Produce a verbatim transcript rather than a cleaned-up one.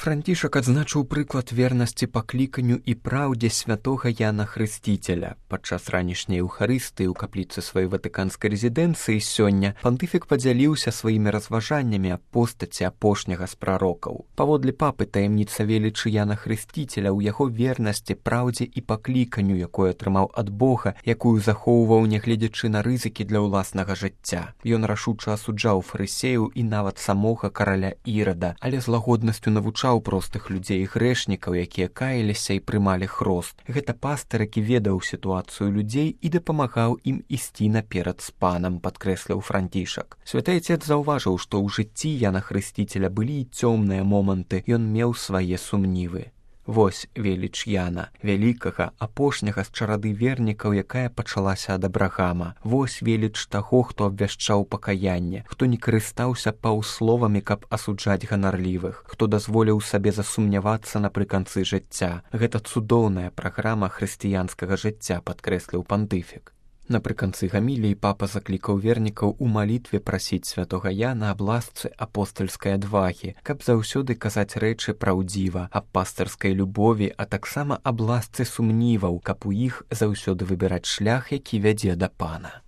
Францішак адзначыў прыклад вернасці пакліканню і праўдзе святога Яна Хрысціцеля. Падчас ранішняй еўхарыстыі ў капліцы сваёй ватыканскай рэзідэнцыі сёння пантыфік падзяліўся сваімі разважаннямі аб постаці апошняга з прарокаў. Паводле папы таямніца велічы Яна Хрысціцеля ў яго вернасці, праўдзе і пакліканню, якое атрымаў ад Бога, якую захоўваў, нягледзячы на рызыкі для ўласнага жыцця. Ён рашуча асуджаў фарысеяў і нават самога караля Ірада, але з лагоднасцю навучаў простых людзей і грэшнікаў, якія каяліся і прымалі хрост. Гэта пастар, які ведаў сітуацыю людзей і дапамагаў ім ісці наперад з панам, падкрэсліў Францішак. Святы Айцец заўважыў, што ў жыцці Яна Хрысціцеля былі і цёмныя моманты, ён меў свае сумнівы. Вось веліч Яна, вялікага, апошняга з чарады вернікаў, якая пачалася ад Абрагама. Вось веліч таго, хто абвяшчаў пакаянне, хто не карыстаўся паўсловамі, каб асуджаць ганарлівых, хто дазволіў сабе засумнявацца напрыканцы жыцця. Гэта цудоўная праграма хрысціянскага жыцця, падкрэсліў пантыфік. Напрыканцы гаміліі папа заклікаў вернікаў у малітве прасіць святога Яна аб ласцы апостальскай адвагі, каб заўсёды казаць рэчы праўдзіва, аб пастырскай любові, а таксама аб ласцы сумніваў, каб у іх заўсёды выбіраць шлях, які вядзе да пана.